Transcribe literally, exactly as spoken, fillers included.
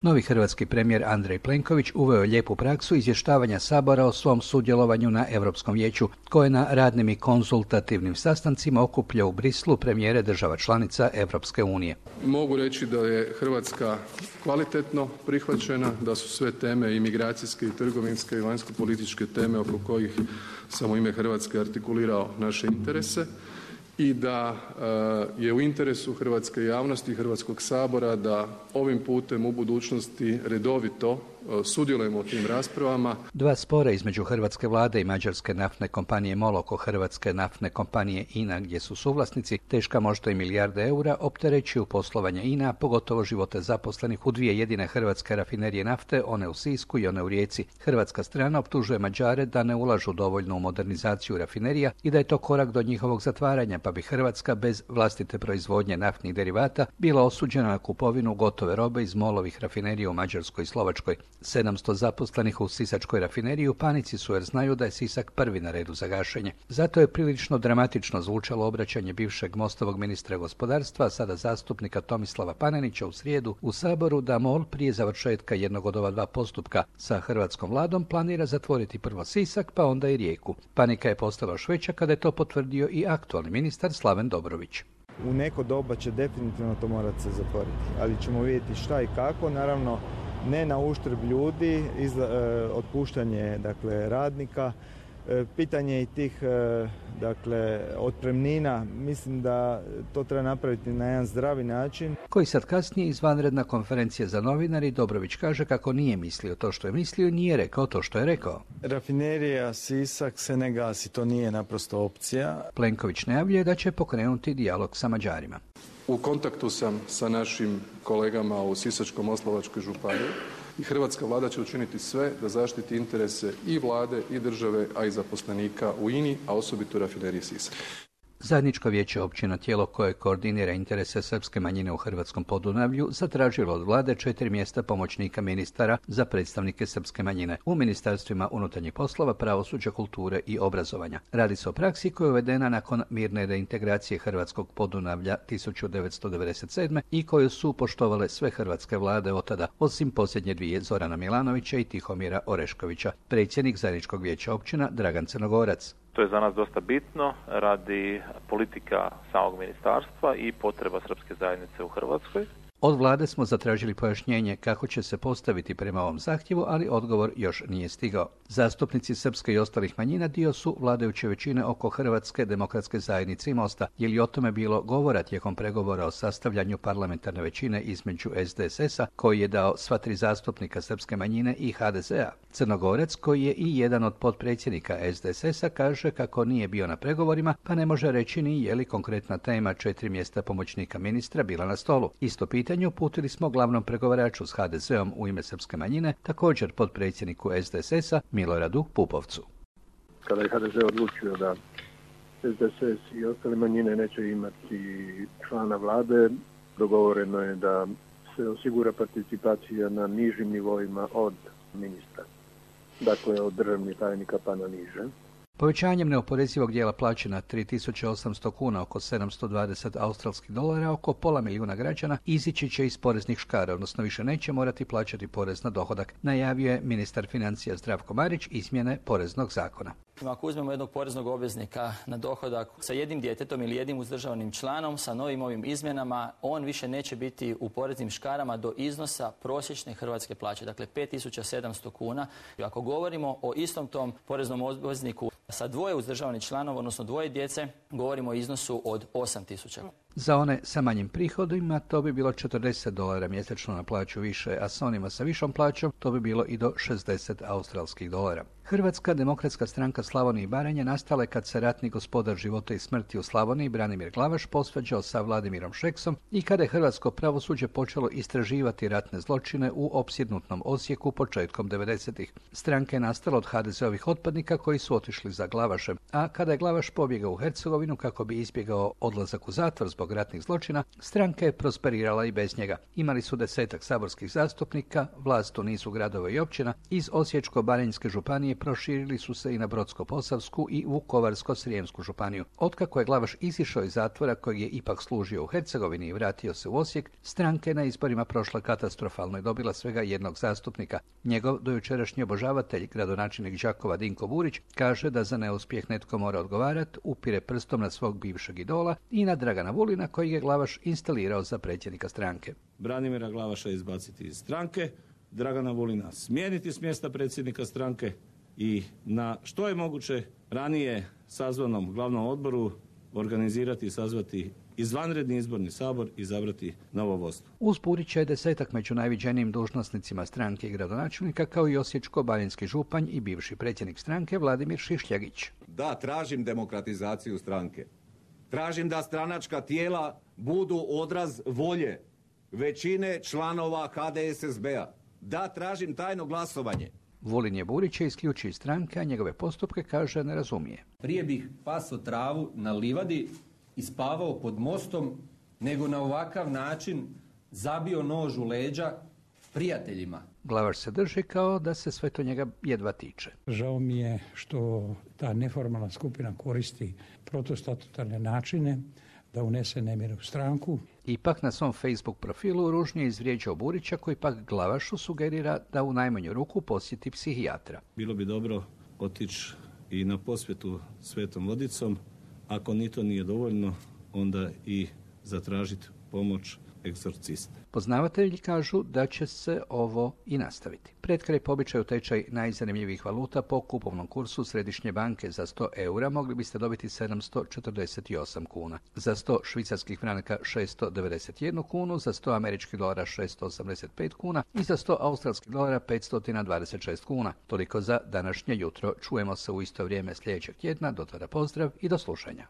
Novi hrvatski premijer Andrej Plenković uveo je lijepu praksu izvještavanja Sabora o svom sudjelovanju na Europskom vijeću, koje na radnim i konzultativnim sastancima okuplja u Brislu premijere država članica Europske unije. Mogu reći da je Hrvatska kvalitetno prihvaćena, da su sve teme imigracijske i trgovinske i vanjsko-političke teme oko kojih sam u ime Hrvatske artikulirao naše interese i da je u interesu hrvatske javnosti i Hrvatskog sabora da ovim putem u budućnosti redovito sudjelujemo u tim raspravama. Dva spora između hrvatske vlade i mađarske naftne kompanije MOL oko hrvatske naftne kompanije INA, gdje su suvlasnici, teška možda i milijarde eura, opterećuju poslovanje INA, pogotovo živote zaposlenih u dvije jedine hrvatske rafinerije nafte, one u Sisku i one u Rijeci. Hrvatska strana optužuje Mađare da ne ulažu dovoljno u modernizaciju rafinerija i da je to korak do njihovog zatvaranja, pa bi Hrvatska bez vlastite proizvodnje naftnih derivata bila osuđena na kupovinu gotove robe iz MOL-ovih rafinerija u Mađarskoj i Slovačkoj. sedamsto zaposlenih u sisačkoj rafineriji u panici su jer znaju da je Sisak prvi na redu za gašenje. Zato je prilično dramatično zvučalo obraćanje bivšeg Mostovog ministra gospodarstva, sada zastupnika Tomislava Panenića u srijedu u Saboru, da MOL prije završetka jednog od ova dva postupka sa hrvatskom vladom planira zatvoriti prvo Sisak pa onda i Rijeku. Panika je postala još veća kada je to potvrdio i aktualni ministar Slaven Dobrović. U neko doba će definitivno to morati se zatvoriti, ali ćemo vidjeti šta i kako, naravno ne na uštrb ljudi, izla, e, otpuštanje dakle, radnika, e, pitanje i tih e, dakle, otpremnina, mislim da to treba napraviti na jedan zdravi način. Koji sad kasnije izvanredna konferencija za novinari, Dobrović kaže kako nije mislio to što je mislio i nije rekao to što je rekao. Rafinerija Sisak se ne gasi, to nije naprosto opcija. Plenković najavljuje da će pokrenuti dijalog sa Mađarima. U kontaktu sam sa našim kolegama u Sisačko-moslavačkoj županiji i hrvatska vlada će učiniti sve da zaštiti interese i vlade i države, a i zaposlenika u INI, a osobito u rafineriji Sisak. Zajedničko vijeće općina, tijelo koje koordinira interese srpske manjine u hrvatskom Podunavlju, zatražilo od vlade četiri mjesta pomoćnika ministara za predstavnike srpske manjine u ministarstvima unutarnjih poslova, pravosuđa, kulture i obrazovanja. Radi se o praksi koja je uvedena nakon mirne reintegracije hrvatskog Podunavlja tisuću devetsto devedeset sedme i koju su poštovale sve hrvatske vlade od tada, osim posljednje dvije Zorana Milanovića i Tihomira Oreškovića. Predsjednik zajedničkog vijeća općina Dragan Crnogorac. To je za nas dosta bitno radi politika samog ministarstva i potreba srpske zajednice u Hrvatskoj. Od vlade smo zatražili pojašnjenje kako će se postaviti prema ovom zahtjevu, ali odgovor još nije stigao. Zastupnici srpske i ostalih manjina dio su vladajuće većine oko Hrvatske demokratske zajednice i Mosta. Je li o tome bilo govora tijekom pregovora o sastavljanju parlamentarne većine između S D S S-a, koji je dao sva tri zastupnika srpske manjine, i H D Z-a? Crnogorac, koji je i jedan od potpredsjednika S D S S-a, kaže kako nije bio na pregovorima, pa ne može reći ni je li konkretna tema četiri mjesta pomoćnika ministra bila na stolu. Isto pitanje uputili smo glavnom pregovaraču s H D Z-om u ime srpske manjine, također potpredsjedniku S D S S-a Miloradu Pupovcu. Kada je H D Z odlučio da S D S S i ostale manjine neće imati člana vlade, dogovoreno je da se osigura participacija na nižim nivoima od ministra. Dakle, od državnih tajnika pa na niže. Povećanjem neoporezivog dijela plaće na tri tisuće osamsto kuna, oko sedamsto dvadeset australskih dolara, oko pola milijuna građana izići će iz poreznih škara, odnosno više neće morati plaćati porez na dohodak, najavio je ministar financija Zdravko Marić izmjene poreznog zakona. Ako uzmemo jednog poreznog obveznika na dohodak sa jednim djetetom ili jednim uzdržavanim članom, sa novim ovim izmjenama, on više neće biti u poreznim škarama do iznosa prosječne hrvatske plaće, dakle pet tisuća sedamsto kuna. I ako govorimo o istom tom poreznom obvezniku sa dvoje uzdržavanih članova, odnosno dvoje djece, govorimo o iznosu od osam tisuća. Za one sa manjim prihodima to bi bilo četrdeset dolara mjesečno na plaću više, a sa onima sa višom plaćom to bi bilo i do šezdeset australskih dolara. Hrvatska demokratska stranka Slavonije i Baranje nastala je kad se ratni gospodar života i smrti u Slavoniji Branimir Glavaš posvađao sa Vladimirom Šeksom i kada je hrvatsko pravosuđe počelo istraživati ratne zločine u opsjednutnom Osijeku početkom devedesetih. Stranka je nastala od H D Z-ovih otpadnika koji su otišli za Glavašem, a kada je Glavaš pobjegao u Hercegovinu kako bi izbjegao odlazak u zatvor zbog zbog ratnih zločina, stranka je prosperirala i bez njega. Imali su desetak saborskih zastupnika, vlast u nizu gradova i općina, iz Osječko-baranjske županije proširili su se i na Brodsko-posavsku i Vukovarsko-srijemsku županiju. Otkako je Glavaš izišao iz zatvora kojeg je ipak služio u Hercegovini i vratio se u Osijek, stranka je na izborima prošla katastrofalno i dobila svega jednog zastupnika. Njegov dojučerašnji obožavatelj, gradonačelnik Đakova Dinko Burić, kaže da za neuspjeh netko mora odgovarati, upire prstom na svog bivšeg idola i na Dragana Vulina koji je Glavaš instalirao za predsjednika stranke. Branimira Glavaša izbaciti iz stranke, Dragana Vulina smijeniti s mjesta predsjednika stranke i na što je moguće ranije sazvanom glavnom odboru organizirati i sazvati izvanredni izborni sabor i izabrati novo vodstvo. Uz Burića je desetak među najviđenijim dužnosnicima stranke i gradonačelnika, kao i Osječko-baranjski županj i bivši predsjednik stranke Vladimir Šišljagić. Da, tražim demokratizaciju stranke. Tražim da stranačka tijela budu odraz volje većine članova H D S S B-a. Da, tražim tajno glasovanje. Vulin je Burića isključio iz stranke, a njegove postupke, kaže, ne razumije. Prije bih pasao travu na livadi i spavao pod mostom, nego na ovakav način zabio nož u leđa prijateljima. Glavaš se drži kao da se sve to njega jedva tiče. Žao mi je što ta neformalna skupina koristi protostatutarne načine da unese nemir u stranku. Ipak na svom Facebook profilu ružnije izvrijeđao Burića, koji pak Glavašu sugerira da u najmanju ruku posjeti psihijatra. Bilo bi dobro otići i na posvetu Svetom vodicom. Ako ni to nije dovoljno, onda i zatražiti pomoć egzorcista. Poznavatelji kažu da će se ovo i nastaviti. Pred kraj po običaju tečaj najzanimljivijih valuta po kupovnom kursu Središnje banke za sto eura mogli biste dobiti sedamsto četrdeset osam kuna. Za sto švicarskih franaka šesto devedeset jednu kunu, za sto američkih dolara šesto osamdeset pet kuna i za sto australskih dolara petsto dvadeset šest kuna. Toliko za današnje jutro. Čujemo se u isto vrijeme sljedećeg tjedna. Do tada pozdrav i do slušanja.